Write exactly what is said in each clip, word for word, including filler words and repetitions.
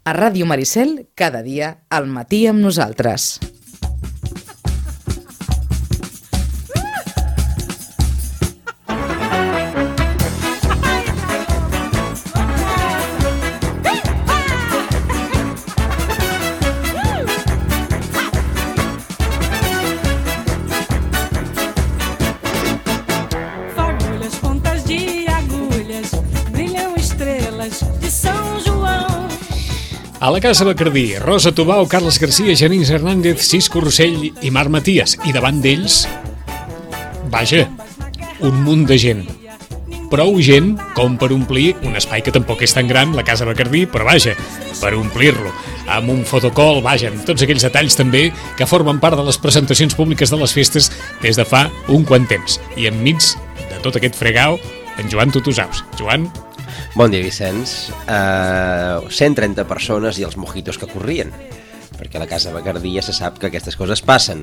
A Ràdio Maricel, cada dia, al matí amb nosaltres. A la Casa Bacardí, Rosa Tubau, Carles Garcia, Genís Hernández, Cisco Rossell i Marc Matías. I davant d'ells, vaja, un munt de gent. Prou gent com per omplir un espai que tampoc és tan gran, la Casa Bacardí, però vaja, per omplir-lo. Amb un fotocall, vaja, amb tots aquells detalls també que formen part de les presentacions públiques de les festes des de fa un quant temps. I enmig de tot aquest fregau, en Joan Tutusaus. Joan... Bon dia, Vicenç. Uh, cent trenta persones i els mojitos que corrien, perquè a la Casa Bacardí ja se sap que aquestes coses passen.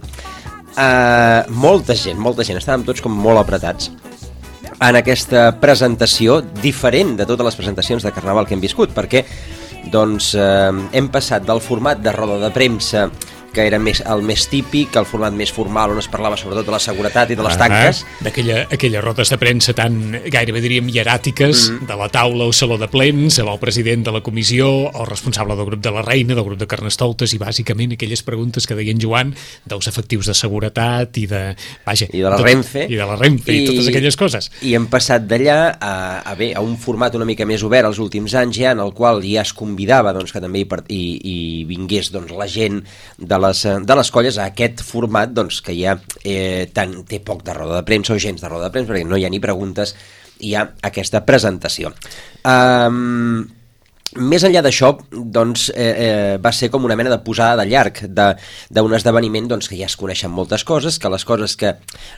Uh, molta gent, molta gent, estàvem tots com molt apretats en aquesta presentació diferent de totes les presentacions de Carnaval que hem viscut, perquè doncs, uh, hem passat del format de roda de premsa, que era més, el més típic, el format més formal, on es parlava sobretot de la seguretat i de les tanques. Ah, d'aquella aquelles rodes de premsa tan, gairebé diríem, hieràtiques, mm. de la taula o saló de plens, amb el president de la comissió, el responsable del grup de la Reina, del grup de Carnestoltes, i bàsicament aquelles preguntes que deien Joan dels efectius de seguretat i de... Vaja, I de la tot, Renfe. I de la Renfe, i, i totes aquelles coses. I hem passat d'allà a, a, bé, a un format una mica més obert els últims anys, ja, en el qual ja es convidava doncs, que també hi, hi, hi vingués doncs, la gent de les, de les colles a aquest format doncs, que ja eh, tant, té poc de roda de premsa o gens de roda de premsa, perquè no hi ha ni preguntes, hi ha aquesta presentació. Um, més enllà d'això, doncs, eh, eh, va ser com una mena de posada de llarg d'un esdeveniment doncs, que ja es coneixen moltes coses, que les coses que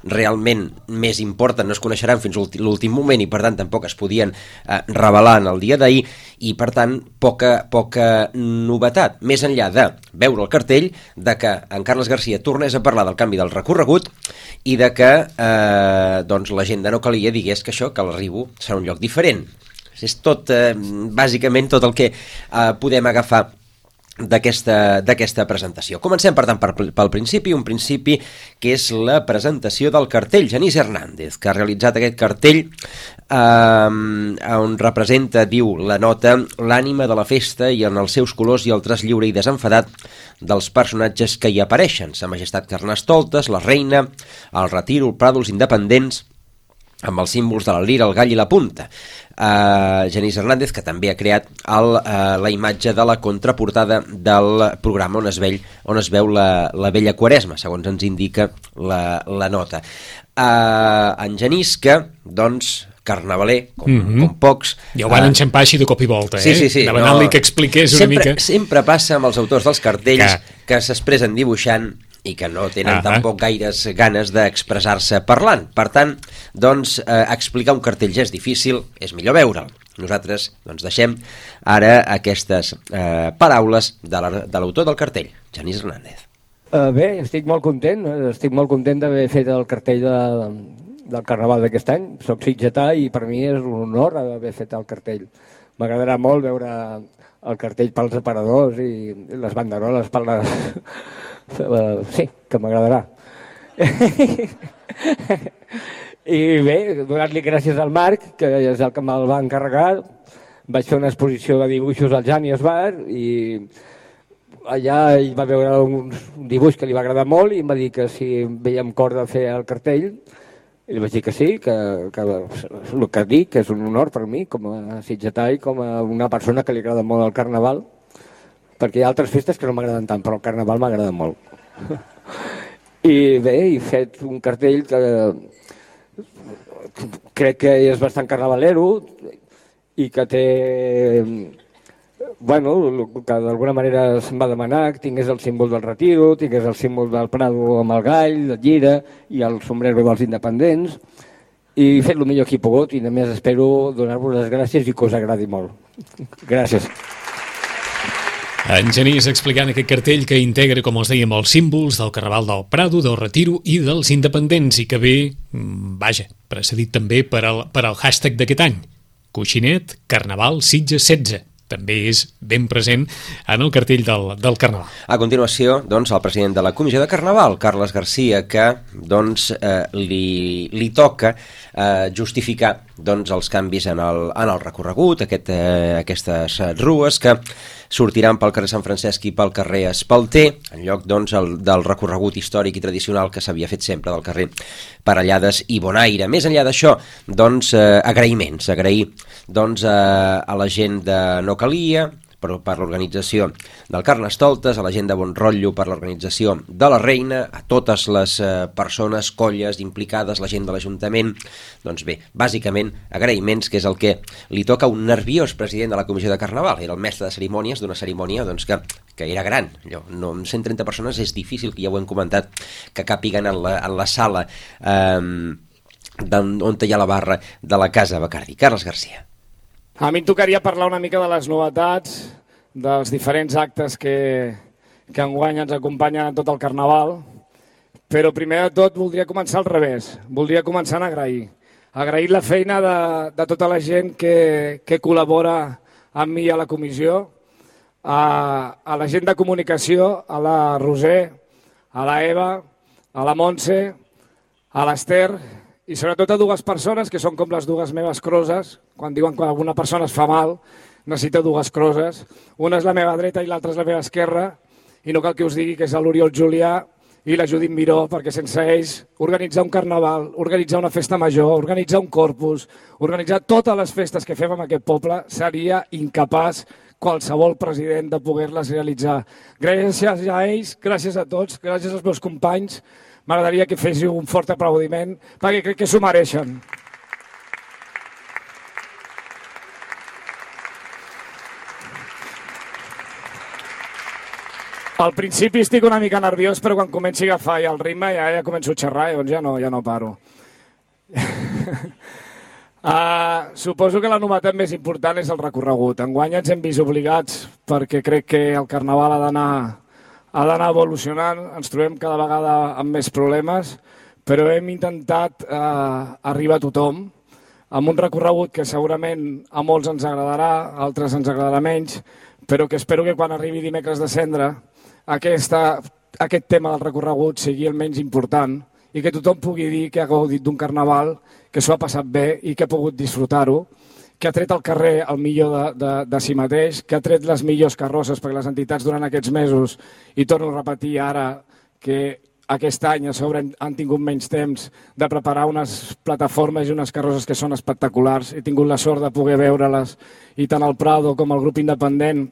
realment més importen no es coneixeran fins l'últim moment i per tant tampoc es podien eh, revelar en el dia d'ahir, i per tant poca, poca novetat, més enllà de veure el cartell, de que en Carles Garcia tornés a parlar del canvi del recorregut i de que eh, doncs, la gent de No Calia digués que això, que l'Arribo serà un lloc diferent. És tot, eh, bàsicament, tot el que eh, podem agafar d'aquesta d'aquesta presentació. Comencem, per tant, per, pel principi, un principi que és la presentació del cartell. Genís Hernández, que ha realitzat aquest cartell eh, on representa, diu la nota, l'ànima de la festa i en els seus colors i el traç lliure i desenfadat dels personatges que hi apareixen. Sa Majestat Carnestoltes, la Reina, el Retiro, el Prado, els Independents, amb els símbols de la lira, el gall i la punta. Uh, Genís Hernández, que també ha creat el, uh, la imatge de la contraportada del programa on es, veu, on es veu la, la vella Quaresma, segons ens indica la, la nota. Uh, en Genís, que, doncs, carnavaler, com, mm-hmm. com pocs... Ja ho van uh, enxampar així de cop i volta, sí, eh? Sí, sí, demanant-li no, que expliqués una sempre, mica... Sempre passa amb els autors dels cartells que, que s'expressen dibuixant i que no tenen ah, tampoc gaires ganes d'expressar-se parlant. Per tant, doncs, eh, explicar un cartell ja és difícil, és millor veure'l. Nosaltres doncs, deixem ara aquestes eh, paraules de l'autor la, del cartell, Genís Hernández. Uh, bé, estic molt content, estic molt content d'haver fet el cartell de, del Carnaval d'aquest any. Soc sitgetà i per mi és un honor haver fet el cartell. M'agradarà molt veure el cartell pels aparadors i les banderoles per les... Uh, sí, que m'agradarà. I bé, donar-li gràcies al Marc, que és el que me'l va encarregar. Vaig fer una exposició de dibuixos al Janius Bar i allà ell va veure un dibuix que li va agradar molt i em va dir que si veiem cor de fer el cartell. I li vaig dir que sí, que, que el que dic, que és un honor per mi com a sitgetà i com a una persona que li agrada molt el Carnaval, perquè hi ha altres festes que no m'agraden tant, però el Carnaval m'agrada molt. I bé, he fet un cartell que crec que és bastant carnavalero i que té, bueno, que d'alguna manera se'm va demanar que tingués el símbol del Retiro, tingués el símbol del Prado amb el gall, la llira i el sombrero dels Independents, i he fet el millor que he pogut i només espero donar-vos les gràcies i que us agradi molt. Gràcies. En Genís explicant aquest cartell que integra, com els dèiem, els símbols del Carnaval del Prado, del Retiro i dels Independents, i que ve, vaja, precedit també per al, per al hashtag d'aquest any, Coixinet Carnaval Sitges setze. també és ben present en el cartell del, del Carnaval. A continuació, doncs, el president de la Comissió de Carnaval, Carles Garcia, que doncs, eh, li, li toca eh, justificar doncs, els canvis en el, en el recorregut, aquest, eh, aquestes rues que sortiran pel carrer Sant Francesc i pel carrer Espalter, en lloc doncs, el, del recorregut històric i tradicional que s'havia fet sempre del carrer Parellades i Bonaire. Més enllà d'això, doncs, eh, agraïments, agrair doncs, eh, a la gent de No Calia, per, per l'organització del Carnestoltes, a la gent de Bon Rotllo per l'organització de la Reina, a totes les eh, persones, colles implicades, la gent de l'Ajuntament. Doncs bé, bàsicament, agraïments, que és el que li toca a un nerviós president de la Comissió de Carnaval. Era el mestre de cerimònies d'una cerimònia doncs, que, que era gran. Allò, no, amb cent trenta persones és difícil, que ja ho hem comentat, que capiguen en la, en la sala eh, on hi ha la barra de la Casa Bacardi. Carles Garcia. A mi em tocaria parlar una mica de les novetats, dels diferents actes que, que enguany ens acompanyen en tot el Carnaval, però primer de tot voldria començar al revés, voldria començar a agrair. Agrair la feina de, de tota la gent que, que col·labora amb mi a la comissió, a, a la gent de comunicació, a la Roser, a la Eva, a la Montse, a l'Ester, i sobretot a dues persones que són com les dues meves croses. Quan diuen que alguna persona es fa mal, necessita dues croses. Una és la meva dreta i l'altra és la meva esquerra, i no cal que us digui que és l'Oriol Julià i la Judit Miró, perquè sense ells organitzar un carnaval, organitzar una festa major, organitzar un corpus, organitzar totes les festes que fem en aquest poble, seria incapaç qualsevol president de poder-les realitzar. Gràcies a ells, gràcies a tots, gràcies als meus companys. M'agradaria que féssiu un fort aplaudiment, perquè crec que s'ho mereixen. Al principi estic una mica nerviós, però quan comenci a agafar ja el ritme ja, ja començo a xerrar i doncs ja no, ja no paro. uh, suposo que la novetat més important és el recorregut. Enguany ens hem vist obligats, perquè crec que el Carnaval ha d'anar ha d'anar evolucionant, ens trobem cada vegada amb més problemes, però hem intentat eh, arribar a tothom amb un recorregut que segurament a molts ens agradarà, a altres ens agradarà menys, però que espero que quan arribi dimecres de Cendra aquesta, aquest tema del recorregut sigui el menys important i que tothom pugui dir que ha gaudit d'un carnaval, que s'ho ha passat bé i que ha pogut disfrutar-ho, que ha tret al carrer el millor de, de, de si mateix, que ha tret les millors carrosses, perquè les entitats durant aquests mesos, i torno a repetir ara que aquest any a sobre han tingut menys temps de preparar unes plataformes i unes carrosses que són espectaculars. He tingut la sort de poder veure-les, i tant el Prado com el grup independent,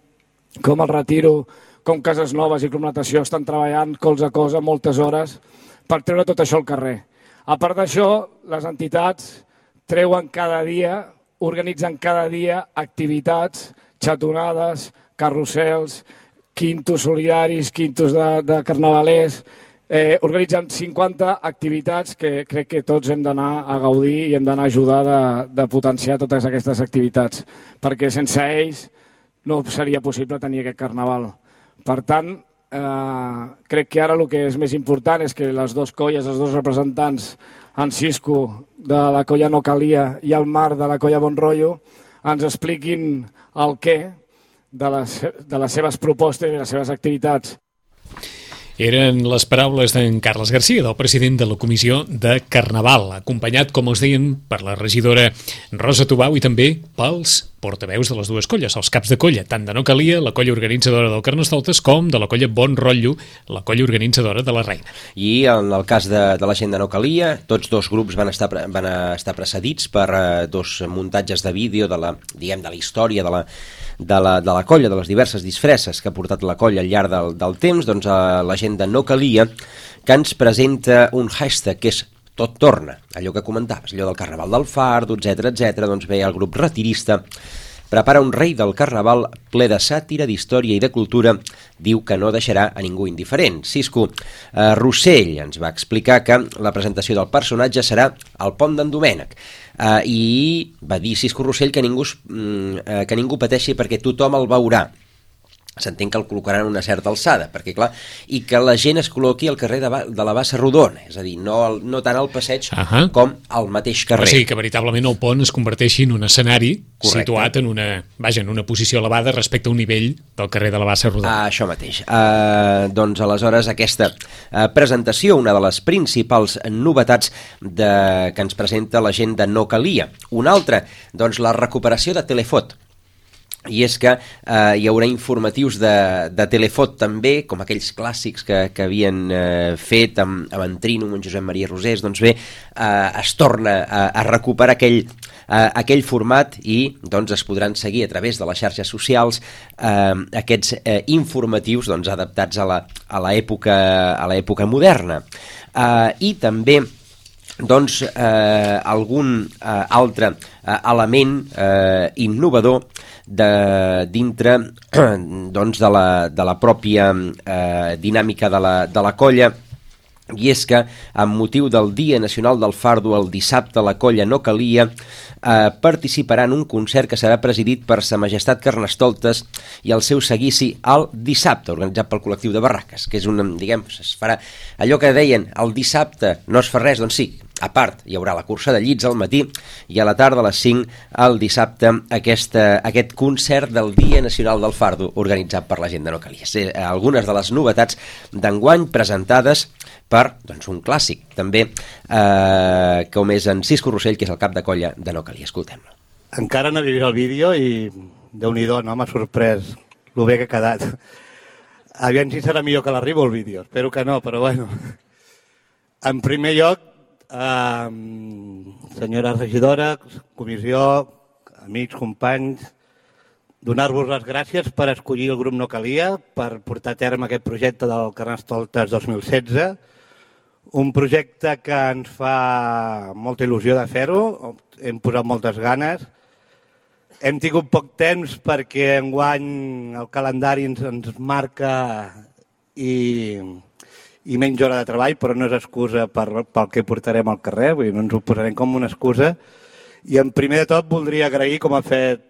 com el Retiro, com Cases Noves i Club Natació estan treballant colze a cosa moltes hores per treure tot això al carrer. A part d'això, les entitats treuen cada dia, organitzen cada dia activitats, xatonades, carrusels, quintos solidaris, quintos de, de carnavalers, eh, organitzen cinquanta activitats que crec que tots hem d'anar a gaudir i hem d'anar a ajudar de, de potenciar totes aquestes activitats, perquè sense ells no seria possible tenir aquest carnaval. Per tant, eh, crec que ara el que és més important és que les dues colles, els dos representants, en Cisco de la colla No Calia i el Marc de la colla Bon Rotllo, ens expliquin el què de les, de les seves propostes i les seves activitats. Eren les paraules d'en Carles Garcia, del president de la Comissió de Carnaval, acompanyat, com els deien, per la regidora Rosa Tubau i també pels portaveus de les dues colles, els caps de colla, tant de No Calia, la colla organitzadora del Carnestoltes, com de la colla Bon Rotllo, la colla organitzadora de la Reina. I en el cas de, de la gent de No Calia, tots dos grups van estar, van estar precedits per uh, dos muntatges de vídeo de la, diguem, de la història de la, de la, de la colla, de les diverses disfresses que ha portat la colla al llarg del, del temps. Doncs uh, la gent de No Calia, que ens presenta un hashtag que és Tot torna, allò que comentaves, allò del Carnaval del Fardo, etcètera, etcètera. Doncs bé, el grup retirista prepara un rei del Carnaval ple de sàtira, d'història i de cultura. Diu que no deixarà a ningú indiferent. Cisco eh, Rossell ens va explicar que la presentació del personatge serà al pont d'en Domènec. Eh, I va dir Cisco Rossell que ningú, eh, que ningú pateixi perquè tothom el veurà. s'entén que el col·locaran a una certa alçada, perquè clar, i que la gent es col·loqui al carrer de, de la Bassa Rodona, és a dir, no, el, no tant al passeig uh -huh. com al mateix carrer. O sigui, que veritablement el pont es converteixi en un escenari Correcte. situat en una, vaja, en una posició elevada respecte a un nivell del carrer de la Bassa Rodona. Ah, això mateix. Uh, doncs aleshores aquesta uh, presentació, una de les principals novetats de, que ens presenta la gent de No Calia. Una altra, doncs la recuperació de Telefot. I és que eh, hi haurà informatius de, de Telefot també, com aquells clàssics que, que havien eh, fet amb, amb en Trino, amb en Josep Maria Rosés, doncs bé, eh, es torna a, a recuperar aquell, eh, aquell format i doncs es podran seguir a través de les xarxes socials eh, aquests eh, informatius doncs, adaptats a la, a l'època a l'època moderna. Eh, I també doncs eh, algun eh, altre eh, element eh, innovador de dintre doncs de la, de la pròpia eh, dinàmica de la, de la colla, i és que amb motiu del Dia Nacional del Fardo el dissabte la colla No Calia eh, participarà en un concert que serà presidit per Sa Majestat Carnestoltes i el seu seguici al dissabte, organitzat pel col·lectiu de Barraques, que és un, diguem, es farà allò que deien, el dissabte no es fa res, doncs sí, a part hi haurà la cursa de llits al matí i a la tarda a les cinc el dissabte aquesta, aquest concert del Dia Nacional del Fardo organitzat per la gent de No Calia. Sí, algunes de les novetats d'enguany presentades per doncs, un clàssic també eh, com és en Cisco Rossell, que és el cap de colla de No Calia. Escoltem-lo. Encara no he vist el vídeo i déu-n'hi-do, no? M'ha sorprès el bé que ha quedat. Aviam si serà millor que l'arribo el vídeo, espero que no, però bueno. En primer lloc, eh, senyora regidora, comissió, amics, companys, donar-vos les gràcies per escollir el grup No Calia, per portar a terme aquest projecte del Carnestoltes dos mil setze, un projecte que ens fa molta il·lusió de fer-ho, hem posat moltes ganes. Hem tingut poc temps perquè enguany el calendari ens, ens marca i, i menys hora de treball, però no és excusa per, pel que portarem al carrer, vull dir, no ens ho posarem com una excusa. I en primer de tot voldria agrair, com ha fet,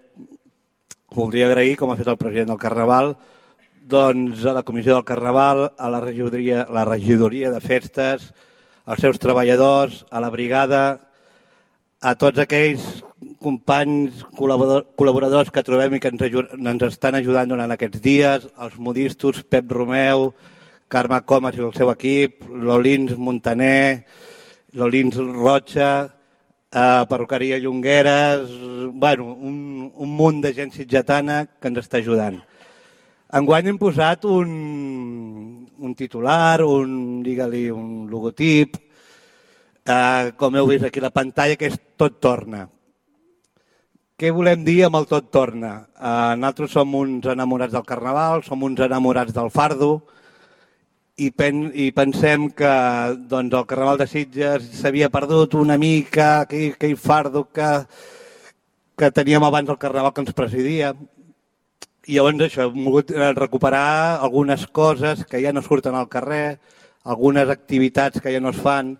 voldria agrair, com ha fet el president del Carnaval, doncs a la Comissió del Carnaval, a la regidoria, la regidoria de festes, als seus treballadors, a la brigada, a tots aquells companys, col·laboradors que trobem i que ens, ens estan ajudant durant aquests dies, els modistos, Pep Romeu, Carme Comas i el seu equip, l'Olins Montaner, l'Olins Rocha, eh, perruqueria Llongueres, bueno, un, un munt de gent sitgetana que ens està ajudant. Enguany hem posat un, un titular, un, digue-li, un logotip, eh, com heu vist aquí a la pantalla, que és Tot torna. Què volem dir amb el Tot torna? Eh, nosaltres som uns enamorats del Carnaval, som uns enamorats del fardo i, pen, i pensem que doncs, el Carnaval de Sitges s'havia perdut una mica, aquell, aquell fardo que, que teníem abans del Carnaval que ens presidia. I llavors això, hem volgut recuperar algunes coses que ja no surten al carrer, algunes activitats que ja no es fan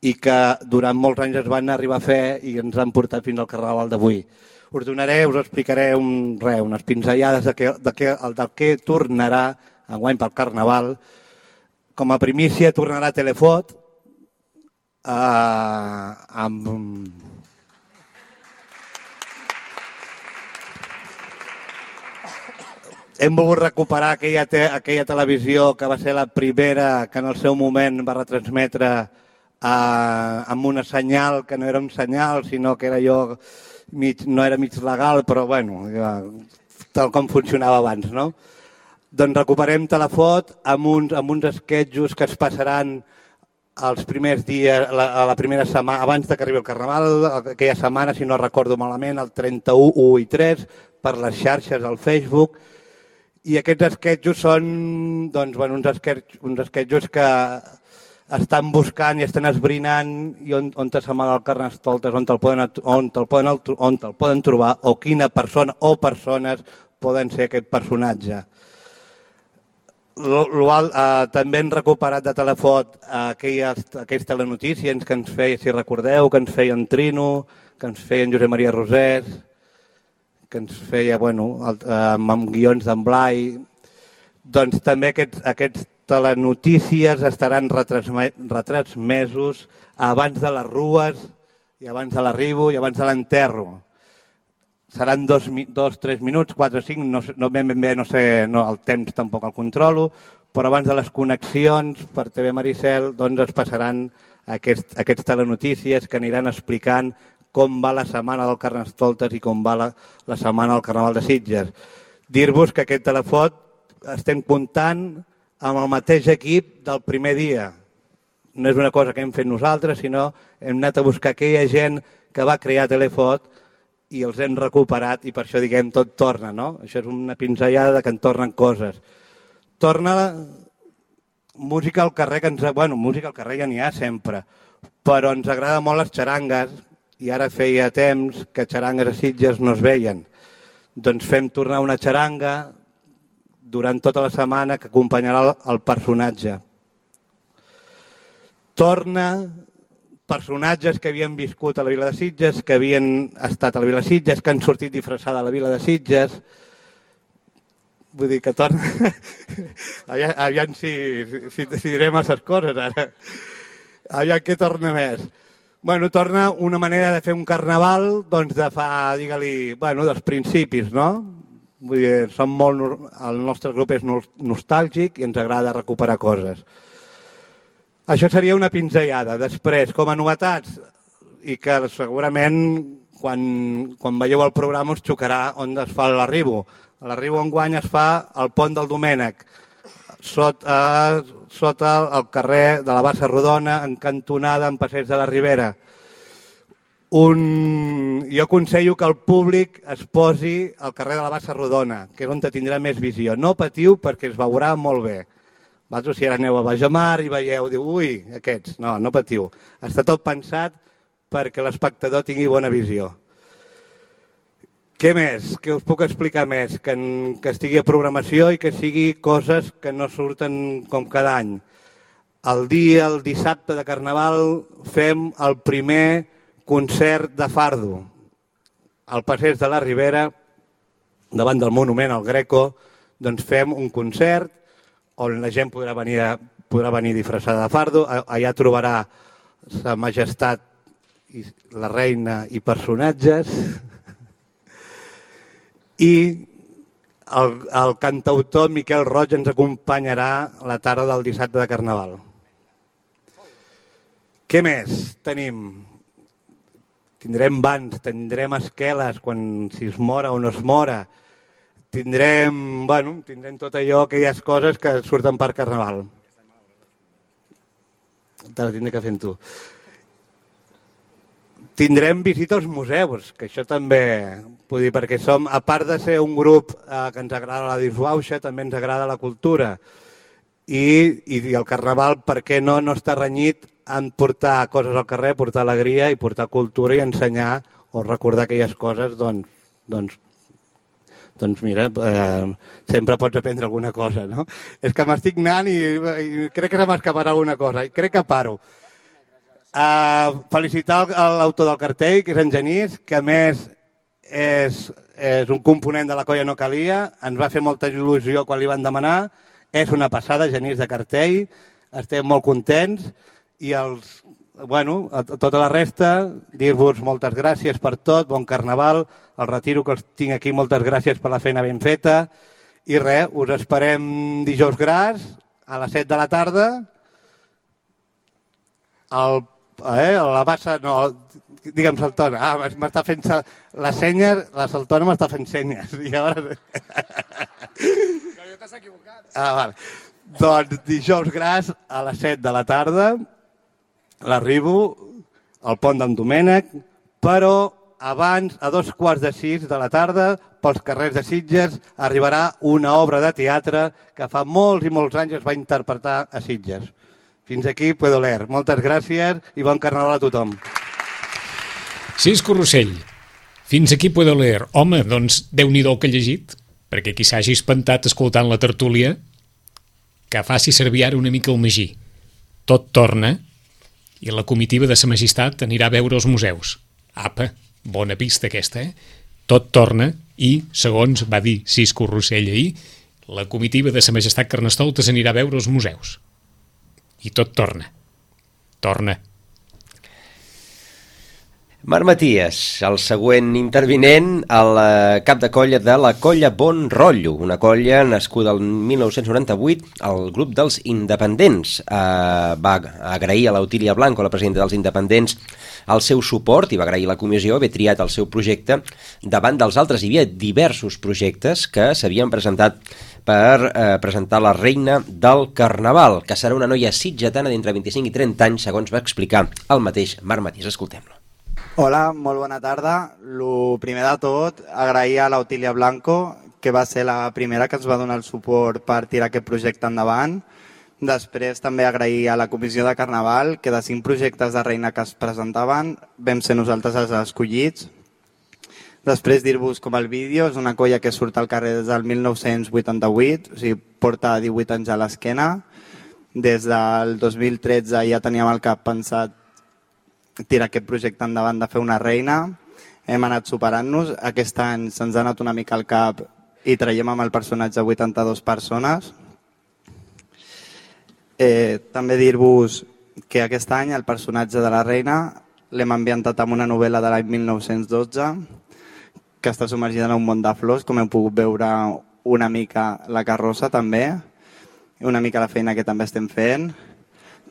i que durant molts anys es van arribar a fer i ens han portat fins al Carnaval d'avui. Us donaré, us explicaré un, re, unes pinzellades de què, de què, el del que tornarà enguany pel Carnaval. Com a primícia tornarà Telefot eh, amb... Hem volgut recuperar aquella, te, aquella televisió que va ser la primera que en el seu moment va retransmetre eh, amb una senyal que no era un senyal, sinó que era allò, mig, no era mig legal, però bueno, ja, tal com funcionava abans, no? Doncs recuperem Telefot amb uns, amb uns esquetxos que es passaran els primers dies, la, a la primera setmana, abans que arribi el Carnaval, aquella setmana, si no recordo malament, el trenta-u, u i tres, per les xarxes, al Facebook. I aquests esquetxos són doncs, bueno, uns, esquetxos, uns esquetxos que estan buscant i estan esbrinant i on, on s'amaga el Carnestoltes, on te'l poden, on te'l poden, on te'l poden trobar o quina persona o persones poden ser aquest personatge. L, l, eh, també hem recuperat de Telefot aquelles, aquells telenotícies que ens feia, si recordeu, que ens feia en Trino, que ens feia en Josep Maria Rosés, que ens feia, bueno, el, eh, amb guions d'en Blai. Doncs també aquests, aquests telenotícies estaran retransme, retransmesos abans de les rues i abans de l'arribo i abans de l'enterro. Seran dos, dos, tres minuts, quatre, cinc, no, no ben bé, no sé, no, el temps tampoc el controlo, però abans de les connexions per T V Maricel doncs es passaran aquests, aquests telenotícies que aniran explicant com va la setmana del Carnestoltes i com va la, la setmana del Carnaval de Sitges. Dir-vos que aquest telefot estem comptant amb el mateix equip del primer dia. No és una cosa que hem fet nosaltres, sinó hem anat a buscar aquella gent que va crear Telefot i els hem recuperat i per això diguem tot torna, no? Això és una pinzellada que en tornen coses. Torna la música al carrer, que ens... bueno, música al carrer ja n'hi ha sempre, però ens agrada molt les xarangues i ara feia temps que xarangues a Sitges no es veien. Doncs fem tornar una xaranga durant tota la setmana que acompanyarà el personatge. Torna personatges que havien viscut a la Vila de Sitges, que havien estat a la Vila de Sitges, que han sortit disfressada a la Vila de Sitges. Vull dir que torna... aviam, aviam si, si, si direm aquestes coses ara. Aviam què torna més. Bueno, torna una manera de fer un carnaval doncs de fa, digue-li, bueno, dels principis, no? Vull dir, som molt... el nostre grup és nostàlgic i ens agrada recuperar coses. Això seria una pinzellada. Després, com a novetats, i que segurament quan, quan veieu el programa us xocarà on es fa l'arribo. L'arribo enguany es fa al Pont del Domènec, sota, sota el carrer de la Bassa Rodona, en cantonada, en Passeig de la Ribera. Un... Jo aconsello que el públic es posi al carrer de la Bassa Rodona, que és on tindrà més visió. No patiu perquè es veurà molt bé. Vosaltres si ara aneu a Bajamar i veieu, diu, ui, aquests. No, no patiu. Està tot pensat perquè l'espectador tingui bona visió. Què més? Què us puc explicar més? Que, en, que estigui a programació i que sigui coses que no surten com cada any. El dia, el dissabte de Carnaval, fem el primer concert de fardo. Al Passeig de la Ribera, davant del monument al Greco, doncs fem un concert on la gent podrà venir, podrà venir disfressada de fardo. Allà trobarà sa majestat, i la reina i personatges. I el, el cantautor Miquel Roig ens acompanyarà la tarda del dissabte de Carnaval. Què més tenim? Tindrem bans, tindrem esqueles quan si es mora o no es mora. Tindrem, bueno, tindrem tot allò, aquelles coses que surten per Carnaval. Te la tindré que fer amb tu. Tindrem visita als museus, que això també, vull dir, perquè som, a part de ser un grup eh, que ens agrada la disbauxa, també ens agrada la cultura. I, i el Carnaval, per què no, no està renyit en portar coses al carrer, portar alegria i portar cultura i ensenyar o recordar aquelles coses, doncs, doncs doncs mira, eh, sempre pots aprendre alguna cosa, no? És que m'estic anant i, i crec que se m'escaparà alguna cosa, i crec que paro. Uh, felicitar l'autor del cartell, que és en Genís, que a més és, és un component de la Colla No Calia, ens va fer molta il·lusió quan li van demanar, és una passada, Genís, de cartell, estem molt contents, i els... Bueno, a tota la resta, dir-vos moltes gràcies per tot, bon Carnaval, el retiro que els tinc aquí, moltes gràcies per la feina ben feta, i res, us esperem dijous gras, a les set de la tarda, el, eh, la bassa, no, digue'm Saltona, ah, m'està fent la senya, la Saltona m'està fent senyes, i ara... No, t'has equivocat. Ah, vale. Doncs dijous gras, a les set de la tarda, l'arribo al Pont d'en Domènec, però abans, a dos quarts de sis de la tarda, pels carrers de Sitges, arribarà una obra de teatre que fa molts i molts anys es va interpretar a Sitges. Fins aquí puedo leer. Moltes gràcies i bon Carnaval a tothom. Cisco Rossell, fins aquí puedo leer. Home, doncs, Déu-n'hi-do que he llegit, perquè qui s'hagi espantat escoltant la tertúlia, que faci servir ara una mica el magí. Tot torna i la comitiva de sa majestat anirà a veure els museus. Apa, bona pista aquesta, eh? Tot torna i, segons va dir Cisco Rossell ahir, la comitiva de Sa Majestat Carnestoltes anirà a veure els museus. I tot torna. Torna. Marc Maties, el següent intervinent, el cap de colla de la colla Bon Rotllo, una colla nascuda el mil nou-cents noranta-vuit, el grup dels Independents. Eh, va agrair a l'Otília Blanco, la presidenta dels Independents, el seu suport i va agrair a la comissió haver triat el seu projecte davant dels altres. Hi havia diversos projectes que s'havien presentat per eh, presentar la reina del Carnaval, que serà una noia sitgetana d'entre vint-i-cinc i trenta anys, segons va explicar el mateix Marc Maties. Escoltem-lo. Hola, molt bona tarda. Lo primer de tot, agrair a l'Otília Blanco, que va ser la primera que ens va donar el suport per tirar aquest projecte endavant. Després també agrair a la Comissió de Carnaval, que de cinc projectes de reina que es presentaven vam ser nosaltres els escollits. Després dir-vos com el vídeo, és una colla que surt al carrer des del mil nou-cents vuitanta-vuit, o sigui, porta divuit anys a l'esquena. Des del dos mil tretze ja teníem al cap pensat tirar aquest projecte endavant de fer una reina. Hem anat superant-nos. Aquest any se'ns ha anat una mica al cap i traiem amb el personatge vuitanta-dues persones. Eh, també dir-vos que aquest any el personatge de la reina l'hem ambientat amb una novel·la de l'any mil nou-cents dotze que està submergida en un món de flors, com hem pogut veure una mica la carrossa també, i una mica la feina que també estem fent.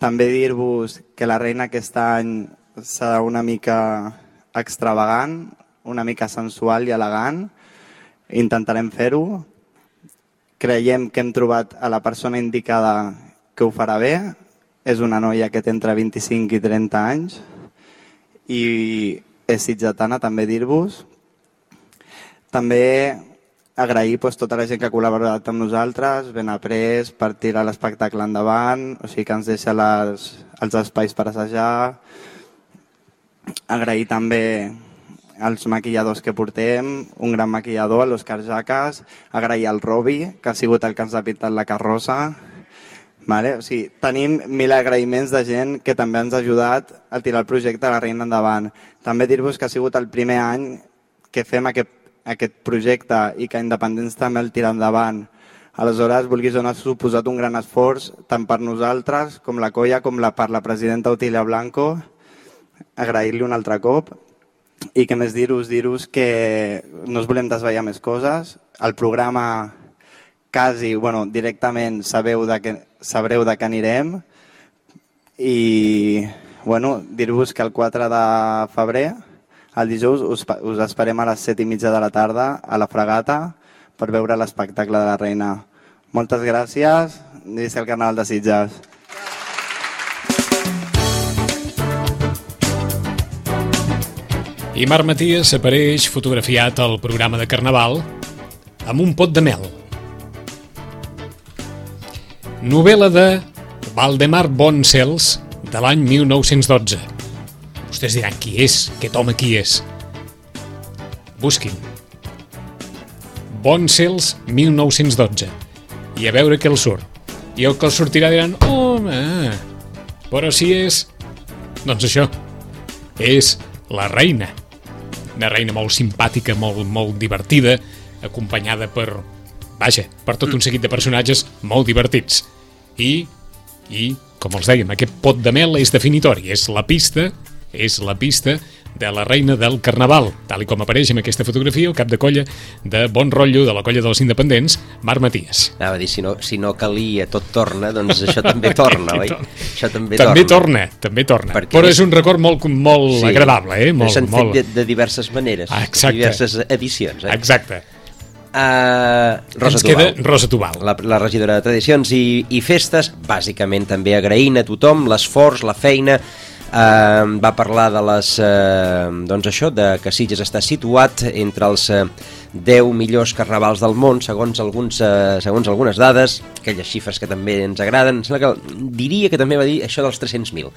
També dir-vos que la reina aquest any serà una mica extravagant, una mica sensual i elegant. Intentarem fer-ho. Creiem que hem trobat a la persona indicada que ho farà bé. És una noia que té entre vint-i-cinc i trenta anys i és sitgetana, també dir-vos. També agrair doncs, tota la gent que ha col·laborat amb nosaltres, ben après per tirar l'espectacle endavant, o sigui que ens deixa les, els espais per assajar. Agrair també als maquilladors que portem, un gran maquillador, l'Òscar Jaques, agrair al Robi, que ha sigut el que ens ha pintat la carrossa. Vale? O sigui, tenim mil agraïments de gent que també ens ha ajudat a tirar el projecte de la reina endavant. També dir-vos que ha sigut el primer any que fem aquest, aquest projecte i que Independents també el tira endavant. Aleshores, vulguis o no, ha suposat un gran esforç tant per nosaltres, com la colla, com la, per la presidenta Otília Blanco. Agrair-li un altre cop i que més dir-vos, dir-vos que no us volem desvetllar més coses. El programa quasi, bueno, directament sabeu de que, sabreu de què anirem i bueno, dir-vos que el quatre de febrer, el dijous, us, us esperem a les set i mitja de la tarda a la Fregata per veure l'espectacle de la reina. Moltes gràcies i visca el Carnaval de Sitges. I Marc Maties apareix fotografiat al programa de Carnaval amb un pot de mel. Novel·la de Valdemar Bonsels de l'any mil nou-cents dotze. Vostès diran, qui és? Aquest home qui és? Busquin. Bonsels mil nou-cents dotze. I a veure què el surt. I el que el sortirà diran, home, però si és... Doncs això, és la reina. Una reina molt simpàtica, molt, molt divertida, acompanyada per, vaja, per tot un seguit de personatges molt divertits. I, i com els dèiem, aquest pot de mel és definitori, és la pista, és la pista de la reina del Carnaval, tal i com apareix en aquesta fotografia el cap de colla de Bon Rotllo, de la colla dels Independents, Marc Maties. Anava a dir, si no, si no calia tot torna, doncs això també torna, oi? Això també, també torna. torna. També torna, Perquè però és un record molt, molt sí, agradable, eh? Molt, s'han molt... fet de, de diverses maneres, Exacte. diverses edicions. Eh? Exacte. Uh, Rosa Ens Tubau. queda Rosa Tubau. La, la regidora de Tradicions i, i Festes, bàsicament també agraint a tothom l'esforç, la feina. Uh, va parlar de les uh, doncs això, de que Sitges està situat entre els uh, deu millors carnavals del món, segons, alguns, uh, segons algunes dades, aquelles xifres que també ens agraden. Sembla que, diria que també va dir això dels tres-cents mil,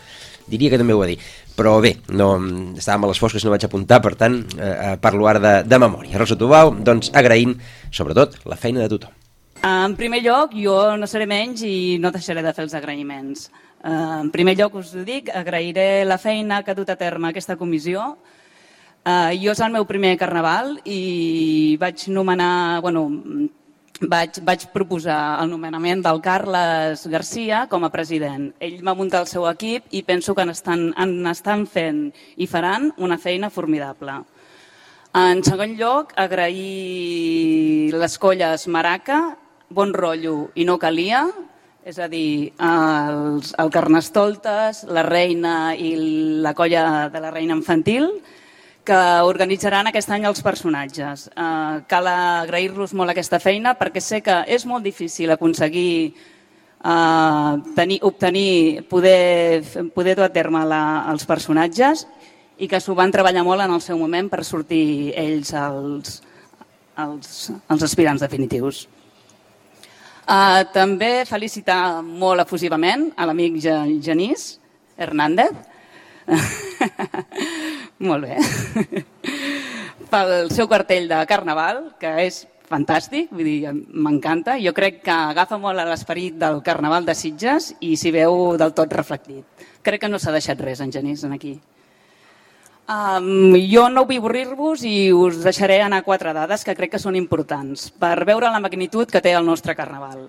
diria que també ho va dir, però bé, no, estàvem a les fosques, no vaig apuntar, per tant uh, parlo ara de, de memòria. Rosa Tubau, doncs agraint sobretot la feina de tothom. En primer lloc, jo no seré menys i no deixaré de fer els agraïments. En primer lloc, us ho dic, agrairé la feina que ha dut a terme aquesta comissió. Jo és el meu primer carnaval i vaig nomenar, bueno, vaig, vaig proposar el nomenament del Carles Garcia com a president. Ell va muntar el seu equip i penso que n'estan estan fent i faran una feina formidable. En segon lloc, agrair les colles Maraca, Bon Rotllo i No Calia, és a dir, els, el Carnestoltes, la Reina i la colla de la Reina Infantil, que organitzaran aquest any els personatges. Eh, cal agrair-los molt aquesta feina perquè sé que és molt difícil aconseguir eh, tenir, obtenir, poder, poder dur a terme la, els personatges i que s'ho van treballar molt en el seu moment per sortir ells els, els, els aspirants definitius. Uh, també felicitar molt efusivament a l'amic Genís Hernández, molt bé, pel seu cartell de Carnaval, que és fantàstic, vull dir, m'encanta. Jo crec que agafa molt a l'esperit del Carnaval de Sitges i s'hi veu del tot reflectit. Crec que no s'ha deixat res, en Genís, aquí. Um, jo no vull avorrir-vos i us deixaré anar quatre dades que crec que són importants per veure la magnitud que té el nostre Carnaval.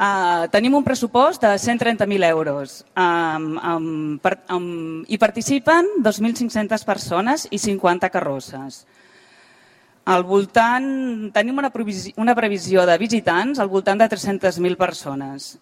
Uh, tenim un pressupost de cent trenta mil euros um, um, per, um, i participen dos mil cinc-centes persones i cinquanta carrosses. Al voltant, tenim una previsió, una previsió de visitants al voltant de tres-centes mil persones.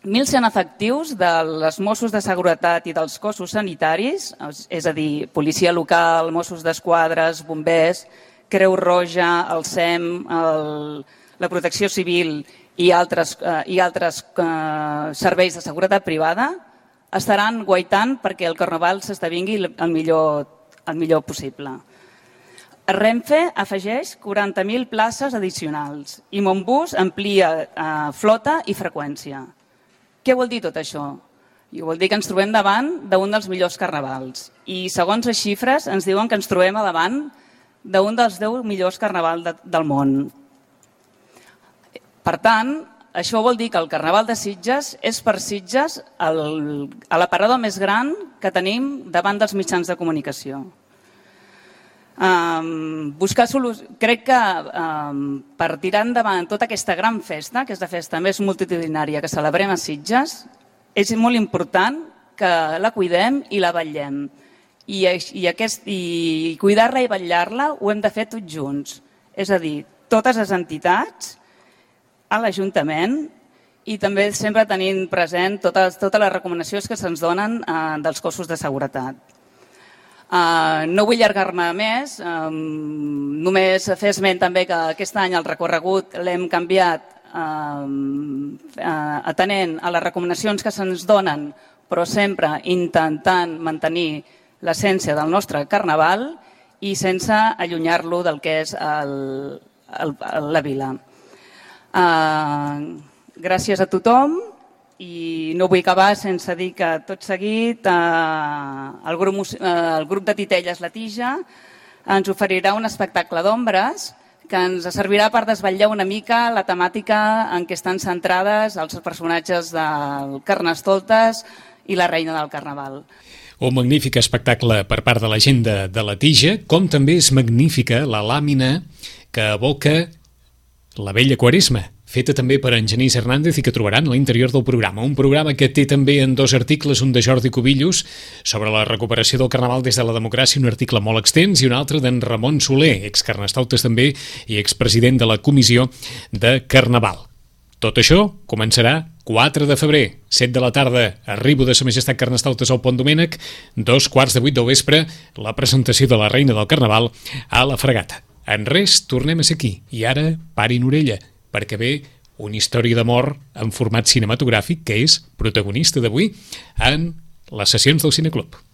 mil cent efectius dels Mossos de Seguretat i dels cossos sanitaris, és a dir, policia local, Mossos d'Esquadra, bombers, Creu Roja, el S E M, el, la Protecció Civil i altres, eh, i altres eh, serveis de seguretat privada, estaran guaitant perquè el Carnaval s'esdevingui el millor, el millor possible. Renfe afegeix quaranta mil places addicionals i Montbus amplia eh, flota i freqüència. Què vol dir tot això? I vol dir que ens trobem davant d'un dels millors carnavals. I segons les xifres ens diuen que ens trobem davant d'un dels deu millors carnavals de, del món. Per tant, això vol dir que el Carnaval de Sitges és per Sitges el, l'aparador més gran que tenim davant dels mitjans de comunicació. Um, buscar solucions. Crec que um, per tirar endavant tota aquesta gran festa, que és la festa més multitudinària que celebrem a Sitges, és molt important que la cuidem i la vetllem. I, i, aquest, i cuidar-la i vetllar-la ho hem de fer tots junts. És a dir, totes les entitats, a l'Ajuntament i també sempre tenint present totes, totes les recomanacions que se'ns donen uh, dels cossos de seguretat. Uh, no vull allargar-me més, um, només fer esment també que aquest any el recorregut l'hem canviat um, uh, atenent a les recomanacions que se'ns donen, però sempre intentant mantenir l'essència del nostre Carnaval i sense allunyar-lo del que és el, el, la vila. Uh, gràcies a tothom. I no vull acabar sense dir que tot seguit eh, el, grup, eh, el grup de Titelles La Tija ens oferirà un espectacle d'ombres que ens servirà per desvetllar una mica la temàtica en què estan centrades els personatges del Carnestoltes i la Reina del Carnaval. Un magnífic espectacle per part de la gent de, de La Tija, com també és magnífica la làmina que evoca la Vella Quaresma, feta també per en Genís Hernández i que trobaran a l'interior del programa. Un programa que té també en dos articles, un de Jordi Cubillos sobre la recuperació del Carnaval des de la democràcia, un article molt extens, i un altre d'en Ramon Soler, excarnestoltes també i expresident de la Comissió de Carnaval. Tot això començarà quatre de febrer, set de la tarda, arribo de Sa Majestat Carnestoltes al Pont Domènec, dos quarts de vuit del vespre, la presentació de la Reina del Carnaval a la Fregata. En res, tornem a ser aquí. I ara, parin orella, perquè ve una història d'amor en format cinematogràfic que és protagonista d'avui en les sessions del Cineclub.